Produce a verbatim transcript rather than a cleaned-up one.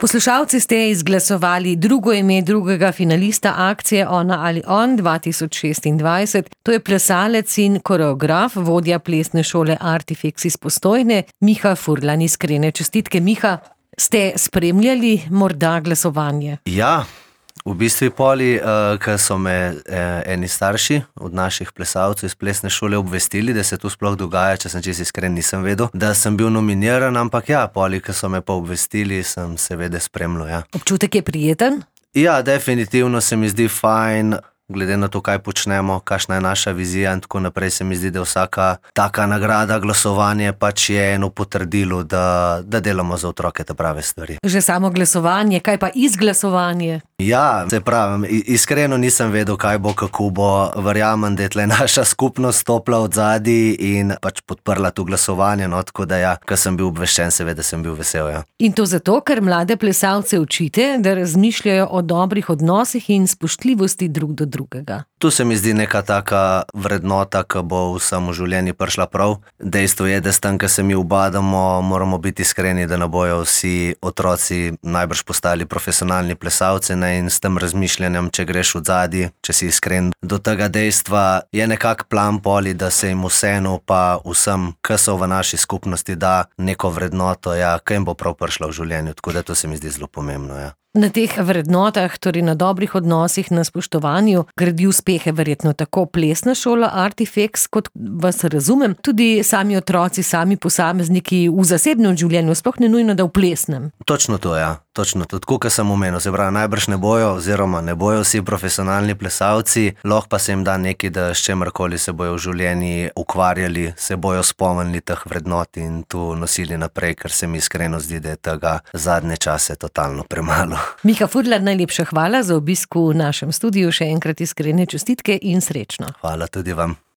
Poslušalci ste izglasovali drugo ime drugega finalista akcije Ona ali on dva tisoč šestindvajset. To je plesalec in koreograf, vodja plesne šole Artifex iz Postojne, Miha Furlan. Iskrene čestitke, Miha. Ste spremljali morda glasovanje? Ja, v bistvu poli, uh, ker so me eh, eni starši od naših plesalcev iz plesne šole obvestili, da se to sploh dogaja, če sem čisto iskren, nisem vedel, da sem bil nominiran, ampak ja, poli, ker so me pa obvestili, sem seveda spremljal, ja. Občutek je prijeten? Ja, definitivno se mi zdi fajn, glede na to, kaj počnemo, kakšna je naša vizija in tako naprej, se mi zdi, da vsaka taka nagrada, glasovanje pač je eno potrdilo, da, da delamo za otroke te prave stvari. Že samo glasovanje, kaj pa izglasovanje? Ja, se pravim, iskreno nisem vedel, kaj bo, kako bo. Verjamem, da je tle naša skupnost stopila od zadaj in pač podprla to glasovanje, no, tako da ja, ko sem bil obveščen, seveda sem bil vesel, ja. In to zato, ker mlade plesalce učite, da razmišljajo o dobrih odnosih in spoštljivosti drug do drugega. Tu se mi zdi neka taka vrednota, ki bo vsem v življenju prišla prav. Dejstvo je, da s tem, ko se mi ubadamo, moramo biti iskreni, da ne bojo vsi otroci najbrž postali profesionalni plesalci, ne, in s tem razmišljanjem, če greš v zadaj, če si iskren do tega dejstva, je nekak plan poli, da se jim vseeno pa vsem, ki so v naši skupnosti, da neko vrednoto, ja, ki jim bo prav prišla v življenju, tako da to se mi zdi zelo pomembno, ja. Na teh vrednotah, torej na dobrih odnosih, na spoštovanju, gradi uspehe verjetno tako plesna šola Artifex, kot vas razumem, tudi sami otroci, sami posamezniki v zasebnem življenju, sploh ne nujno, da v plesnem. Točno to, ja. Točno to. Tako, kot sem omenil, se pravi, najbrž ne bojo, oziroma ne bojo vsi profesionalni plesalci, lahko pa se jim da nekaj, da s čemerkoli se bojo v življenju ukvarjali, se bojo spomnili teh vrednot in to nosili naprej, ker se mi iskreno zdi, da je tega zadnje čase totalno premalo. Miha Furlan, najlepša hvala za obisk v našem studiu, še enkrat iskrene čestitke in srečno. Hvala tudi vam.